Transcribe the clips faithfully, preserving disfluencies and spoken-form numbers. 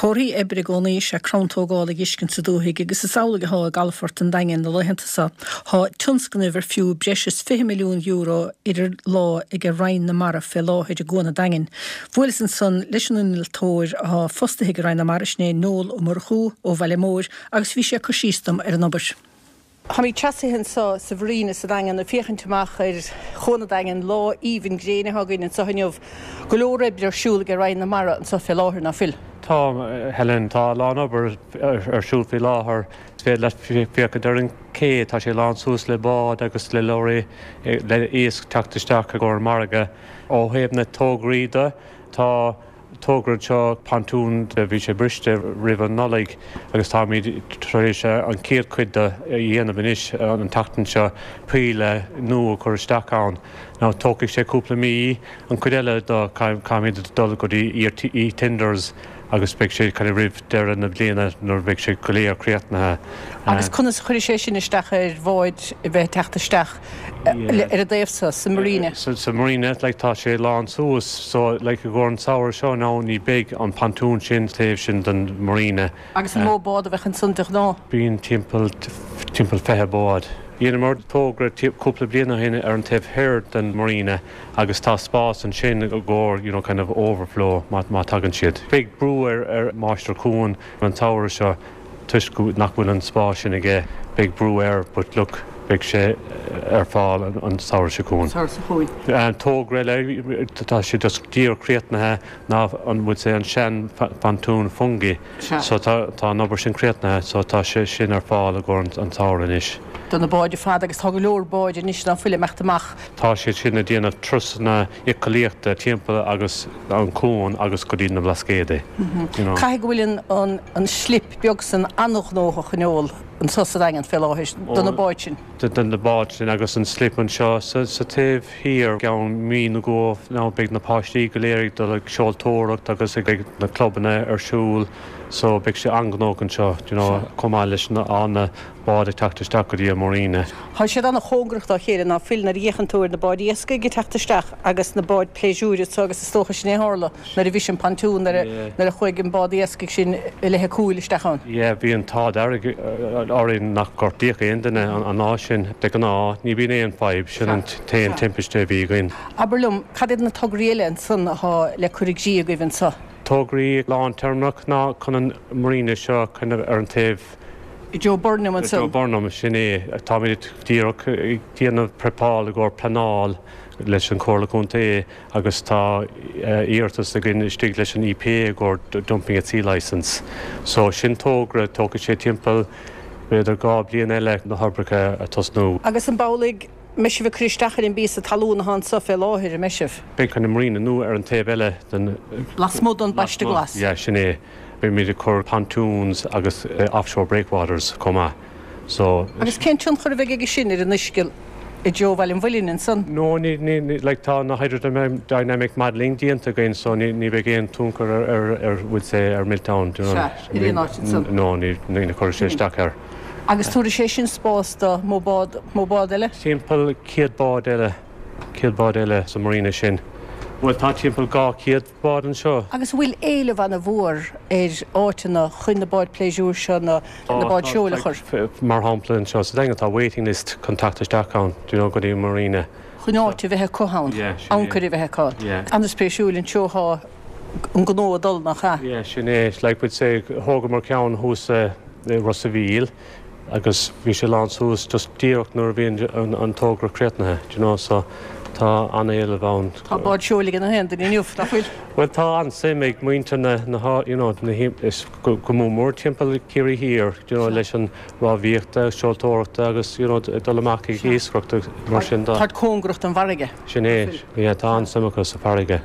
Comharthaí oibre i gcónaí is ea crann tógála ag uiscint sa dúthaigh agus is amhlaidh atá i gcalafort an Daingin na laethanta seo. Tá tionscnamh ar fiú breis is fiche milliún euro idir lámha ag Roinn na Mara fé láthair i gCuan an Daingin. Bhuaileas ansan leis an innealtóir atá fostaithe ag Roinn na Mara sin é Noel Ó Murchú ó Bhaile Móir agus bhí sé ag cur síos dom ar an obair. Táimid seasaithe anseo sa mharina sa Daingean ag féachaint amach ar Chuan an Daingin lá aoibhinn gréine atá againn anseo inniu. Go leor oibre ar siúl ag Roinn na Mara anseo fé láthair nach bhfuil. Tá Helen tá a lán obair ar siúl faoi láthair féidir leat féachaint ar an ché tá sé lán suas le báid agus le leoraí le iasc teacht isteach i gcomhair margadh ó thaobh na tograí de tá togra seo pontún bhí sé briste roimh an Nollaig agus táimid tar éis an chéad chuid de a dhéanamh anois an tseachtain seo píle nua chur isteach ann. Now tógfaidh sé cúpla mí an chuid eile do caithfimid dul go dtí e-tenders agus beidh sé kind of roimh deireadh na bliana nuair beidh sé go léir críochnaithe. Agus conas a chuirfidh sé sin isteach ar bháid a bheith teacht isteach ar an dtaobh seo sa marina. Sa marina like tá sé lán suas so like i gcomhair an samhradh seo ná ní beidh an pontún sin taobh sin den marina. Agus an mó bád a bheadh ansan de ghnáth? Bíonn timpeall timpeall fiche bád. Dhéanamar togra cúpla bliain ó shin ar an taobh thoir den marina agus tá spás ansin i gcomhair you know, kind of overflow má, má tagann siad. Beidh brú ar, ar Máistir Cuan an samhradh seo toisc nach bhfuil an spás sin aige beidh brú air, but look beidh sé ar fáil an, an samhradh seo chugainn. Samhradh seo chugainn. An togra eile tá sé just díreach críochnaithe ná an bhfuil sé an sean pontún Fungie. So tá tá an obair sin críochnaithe so tá sé sin ar fáil i gcomhair an samhradh anois. Do na báid fad agus tá go leor báid anois ná fuil ag imeacht amach. Tá siad sin ag déanamh turasanna éiceolaíochta timpeall agus an cuan agus go dtí na Blascaodaí. You know. Caithfidh go bhfuil an, an, an slip beag san an-ghnóthach in eol anseo sa Daingean fé láthair do na báid sin. Den na báid sin agus an slip anseo sa, sa taobh thiar ceann mí na go ná beidh na páistí go léir ag dul ag seoltóireacht agus ag na clubanna ar siúl so beidh sé an-ghnóthach anseo you know, chomh maith leis na na báid ag teacht isteach go dtí an marina. Tá siad an-chóngarach dá chéile ná fuil nuair a fhéachann tú ar na báid iascaigh ag teacht isteach agus na báid pléisiúir so agus is dócha sin é tharla nuair a bhris an pontún nuair a chuaigh an bád iascaigh sin i leith cúil isteach ann. Yeah, bhí an t-ádh dearg orainn nach gortaíodh aon duine an lá sin de ghnáth ní bhíonn aon fadhb sin an t-aon timpiste a bhí againn. Abair liom, cad iad na tograí eile ansan atá le cur i gcrích agaibh anseo? Tograí lántéarmach ná chun an marina seo kind of ar an taobh Joe Burnham ansan. Joe Burnham sin é táimid díreach déanamh prepáil i gcomhair pleanáil leis an Chomhairle Contae agus tá iarratas againn istigh leis an EPA i gcomhair dumping at sea license. So sin togra tógfaidh sé timpeall b'fhéidir dhá bliain eile na hoibreacha a tosnú. Agus an amhlaidh mbeidh sibh ag cur isteach ar an bpíosa talún atá anseo fé láthair an mbeidh sibh. Beidh an marina nua ar an taobh eile den Lasmuigh den bpaiste glas. Yeah, sin é. Beimid ag cur pontoons agus uh, offshore breakwaters chomh maith. So Agus cén tionchar a bheidh aige sin ar an uisce i dtreo Bhaile an Mhuilinn ansan? No ní ní like tá na hydrodynamic modeling déanta againn so ní ní bheidh aon tionchar ar ar ar bhfuil sé ar Milltown. Sea, ar aon áit ansan. No ní ní chuir sé isteach air. Agus tabharfaidh sé sin spás do mó bád mó bád eile? Timpeall céad bád eile céad bád eile sa marina sin. Bhuel tá timpeall dhá chéad bád anseo. Agus bhfuil éileamh an-mhór ar áiteanna chun na báid pléisiúir seo na na báid seoil a chur. Mar shampla anseo sa Daingean tá waiting list chun teacht isteach ann, do you know, go dtí marina. Chun áit a bheith acu ann, Yeah, sin é. ancaire a bheith acu ann. Yeah. An-spéisiúil an treo atá an gnó ag dul nach ea. Yeah, sin é like would say thógamar ceann thuas i Ros a' Mhíl agus bhí sé lán suas just díreach nuair a bhí an, an togra críochnaithe, do you know, so tá an-éileamh ann. Tá bád seoil ag na haon duine inniu nach bhfuil. Well tá an-suim ag muintir na na you know, na is go go mór mór timpeall Ciarraí Thiar, you know, leis an rámhaíochta, seoltóireachta agus you know, dul amach ag iascaireacht mar sin Tá cóngarach don bhfarraige. Sin é, yeah, tá an-suim acu sa bhfarraige.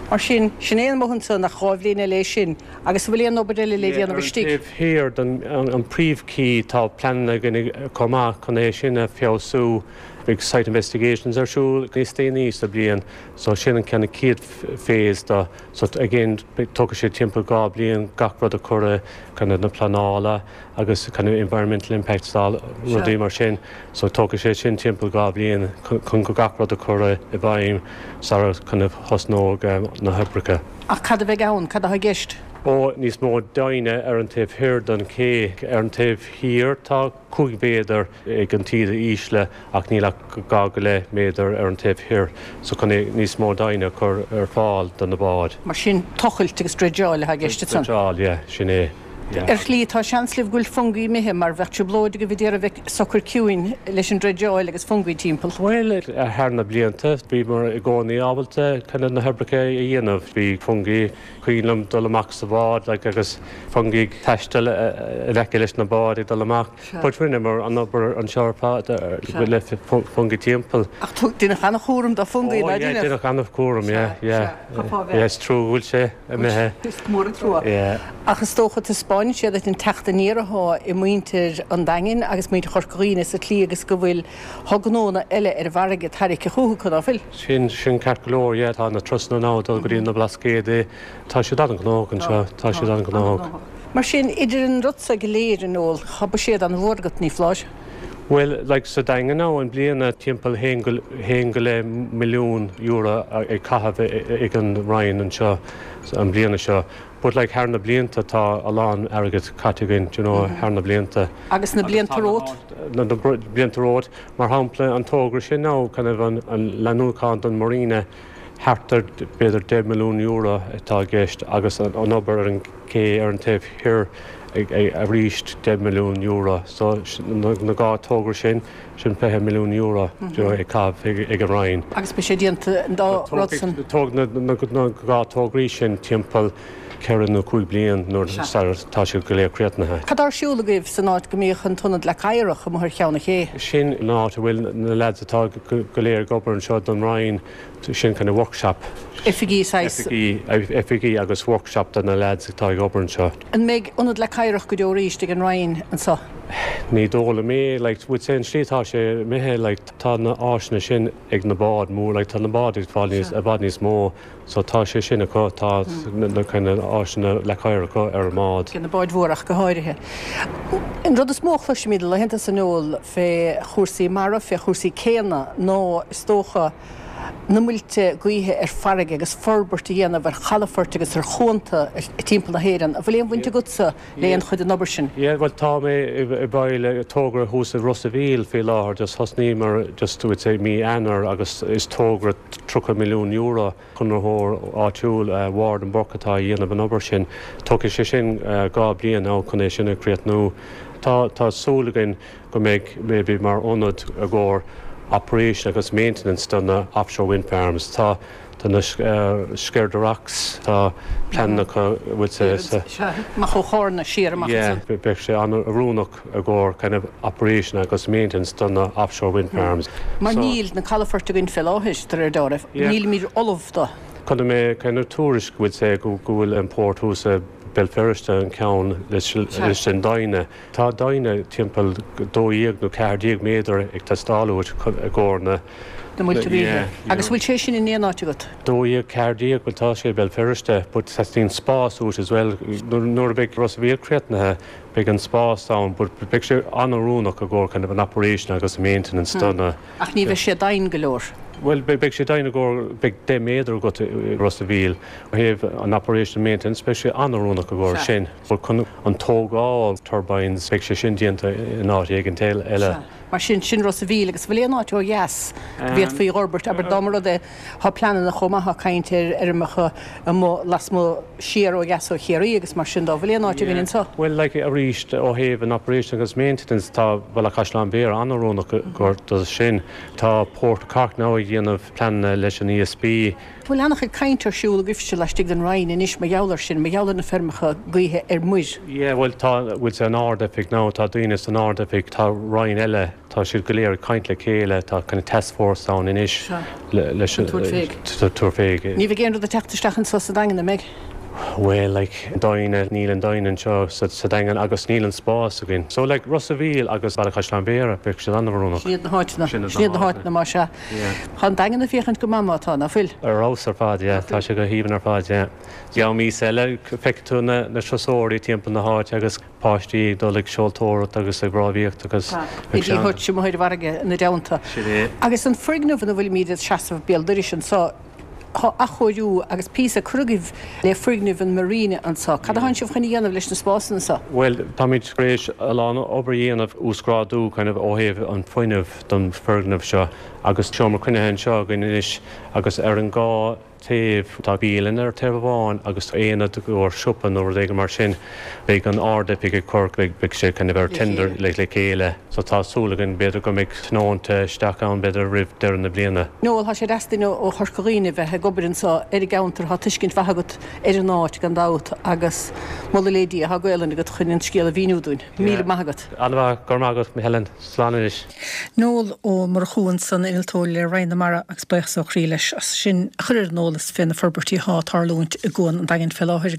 Mar sin sin é an mothan nach dhá bhliain eile é sin, agus bhfuil aon obair eile le déanamh istigh. Taobh thiar den an, an príomhché tá pleananna againn chomh maith chun é sin a fheabhsú Big site investigations ar siúl níos déanaí sa bliain, so sin an ceann chéad phase do so again tógfaidh sé timpeall dhá bliain gach rud a chur kind of na pleanála agus kind of environmental impact stál rudaí mar sin, so tógfaidh sé sin timpeall dhá bliain chun go gach rud a chur i bhfeidhm sar kind of thosnódh um, na hoibreacha. Ach cad a bheidh ann, cad atá i gceist. Ó níos mó doimhne ar an taobh thoir den ché ar an taobh thiar tá cúig mhéadar ag an taoide ísle ach níl ach dhá go leith méadar ar an taobh thoir so chun níos mó doimhne a chur ar fáil do na báid. Mar sin tochailt agus dreideáil atá i gceist ansan? Dreideáil, yeah, sin é. Yeah. Ar shlí tá seans libh go bhfuil fungaí imithe mar bheadh trioblóid agaibh a d'iarraidh bheith socair ciúin leis an dreideáil agus fungaí timpeall. Bhuel, thar na blianta bhíomar i gcónaí ábalta kind of na hoibreacha a dhéanamh. Bhí fungaí cuimhin liom dul amach sa bhád like, agus fungaí ag taisteal in aice leis na báid ag dul amach. But rinneamar an obair anseo ar fad le fungaí timpeall. Ach deineadh an-chúram do fungaí, ná deineadh? Deineadh an-chúram, yeah, yeah. Yeah, is trua go bhfuil sé imithe. Is mór an trua. Yeah. Ach is dócha taispeánann sé duit an teacht aniar atá i muintir an Daingin agus muintir Chorca Dhuibhne sa tslí agus go bhfuil thá gnónna eile ar an bhfarraige tarraicthe chucu, ná fuil? Sin, sin ceart go leor, yeah, tá na turasanna now ag dul go dtí na Blascaodaí, tá siad an-ghnóthach anseo, tá siad an-ghnóthach. Mar sin, idir an rud so go léir, a Noel, thá buiséad an-mhór agat, ní foláir? Bhuel, like sa Daingean now, i mbliana timpeall haon go, haon go leith milliún euro ag caitheamh ag an Roinn anseo an bliana seo. But like thar na blianta tá a lán airgead caite againn, do you know, thar na blianta. Agus na blianta romhat? Na blianta romhat, mar shampla an togra sin now, kind of an, an leathnúchán don Marina, thart ar b'fhéidir deich milliún euro atá i gceist agus an, an obair ar an ché ar an taobh thiar arís deich milliún euro. So na, na dhá togra sin, sin fiche milliún euro do you know, ag caitheamh ag, ag an Roinn. Agus beidh sé déanta an dá rud san? Tóg na, na, na dhá tograí sin timpeall ceithre nó cúig bliain nuair tá siad go léir críochnaithe. Cad tá ar siúl agaibh san áit go mbíodh an t-ionad Leac Oighreach amuigh ar cheann an ché? Sin an áit a bhfuil na lads atá go léir ag obair anseo don Roinn, sin kind of workshop. Oifigí saghas? Oifigí, oifigí agus workshop do na lads atá ag obair anseo. An mbeidh ionad Leac Oighreach go deo arís ag an Roinn anseo? Ní dóigh liom é, like, would say an slí tá sé imithe, like, tá na áiseanna sin ag na báid mór, like, tá na báid ag fáil níos, i bhfad níos mó, so tá sé sin acu, tá na kind of áiseanna Leac Oighreach acu ar an mbád. Na báid mhór ach go háirithe. An rud is mó a chloisimid laethanta seo a Noel fé chúrsaí mara, fé chúrsaí céanna, ná is dócha na muilte gaoithe ar farraige agus forbairt a dhéanamh ar chalafoirt agus ar chuanta timpeall na hÉireann. An bhfuil aon bhaint agatsa le aon chuid den obair sin? Yeah, well tá mé i bhfeighil togra thuas i Ros a' Mhíl faoi láthair, just thosnaíomar just would say mí Eanáir agus is togra tríocha milliún euro conraitheoir áitiúil Ward and Burke atá a dhéanamh an obair sin. Tógfaidh sé sin dhá bliain now chun é sin a chríochnú. Tá tá súil againn go mbeidh maybe mar ionad i gcomhair operation agus maintenance do na offshore wind farms. Tá tá na Sceirde Rocks, tá pleananna acu would say sa Amach ó Chárna siar amach Yeah, beidh sé an-oiriúnach i gcomhair kind of operation agus maintenance do na offshore wind farms. Mar níl na calafoirt againn fé láthair de réir dealraimh. Nílimid ullamh do. Chonaic mé kind of tuairisc would say go bhfuil an port thuas i Béal Feirste an ceann leis an doimhne. Tá doimhne timpeall dó dhéag nó ceathair déag méadar ag teastáil uait i gcomhair na na muilte gaoithe. Agus bhfuil sé sin in aon áit agat? Dó dhéag ceathair déag bhuel tá sé i Béal Feirste, but teastaíonn spás uait as well. Nuair a bheidh Ros a' Mhíl críochnaithe beidh an spás ann, but beidh sé an-oiriúnach i gcomhair kind of an operation agus maintenance do na. Ach ní bheidh sé doimhin go leor. Bhuel, beidh sé doimhin i gcomhair, beidh deich méadar agat i Ros a' Mhíl. Ó thaobh an operation maintenance, beidh sé an-oiriúnach i gcomhair sin. But chun an tógáil turbines, beidh sé sin déanta in áit éigin eile. Mar sin, sin Ros a' Mhíl agus bhfuil aon áit ó dheas go bhféadfaí a fhorbairt, abair dá mba rud é, tá pleananna chomh maith á caint ar fheirmeacha amuigh lasmuigh siar ó dheas ó Chiarraí agus mar sin dá bhfuil aon áit againn anseo? Bhuel, like, arís ó thaobh an operation agus maintenance, tá Bhaile Chaisleáin Bhéarra an-oiriúnach i gcomhair do sin. Tá Port Cork now ag déanamh pleananna leis an ESB. Bhfuil an-chuid caint ar siúl agaibhse laistigh den Roinn anois mar gheall air sin, mar gheall ar na feirmeacha gaoithe ar muir? Yeah, bhuel tá, bhfuil san Ard-Oifig now, tá daoine san Ard-Oifig, tá roinn eile, tá siad go léir ag caint le chéile, tá kind of task force ann anois leis an tabhairt fé. Ní bheidh aon rud ag teacht isteach anseo sa Daingean, an mbeidh? Well, like, doimhne, níl an doimhne anseo sa, sa Daingean agus níl an spás againn. So, like, Ros a' Mhíl agus Baile Chaisleáin Bhéarra, beidh siad an-oiriúnach. Sin iad na háiteanna. Sin iad na háiteanna, más ea. Tá an Daingean ag féachaint go maith má tá, ná fuil? Ar fheabhas ar fad, yeah. Tá sé go haoibhinn ar fad, yeah. Ceann míosa eile, feicfidh tú na, na turasóirí timpeall na háite agus páistí ag dul ag seoltóireacht agus ag rámhaíocht agus I dTí Hutch amuigh ar an bhfarraige ina dteannta. Sin é. Agus an foirgneamh ina bhfuilimid ag seasamh béal dorais anseo, Tá athchóiriú agus píosa curtha agaibh le foirgneamh an Marina anseo. Cad atánn sibh chun a dhéanamh leis na spásanna seo? Bhuel, táimid tar éis a lán obair a dhéanamh, uasghrádú kind of ó thaobh an fuinnimh don foirgneamh seo agus seomra cruinnithe anseo againn anois agus ar an dhá taobh tá bialann ar taobh amháin agus aonad i gcomhair siopa nó rud éigin mar sin. Beidh an Ard-Oifig ag cur, beidh sé kind of ar tender le le chéile. So tá súil againn b'fhéidir go mbeidh tionónta isteach ann b'fhéidir roimh deireadh na bliana. Noel, tá sé deas duine ó Chorca Dhuibhne bheith ag obair anseo ar an gceantar, tá tuiscint mhaith agat ar an áit gan dabht agus moladh le Dia, tá Gaelainn agat chun an scéal a mhíniú dúinn. Míle maith agat. An-mhaith, go raibh maith agat, Helen. Slán anois. Noel Ó Murchú ansan, innealtóir le Roinn na Mara agus buíochas ó chroí leis as sin a chur ar an eolas fé na forbairtí atá ag tarlúint i gCuan an Daingin fé láthair.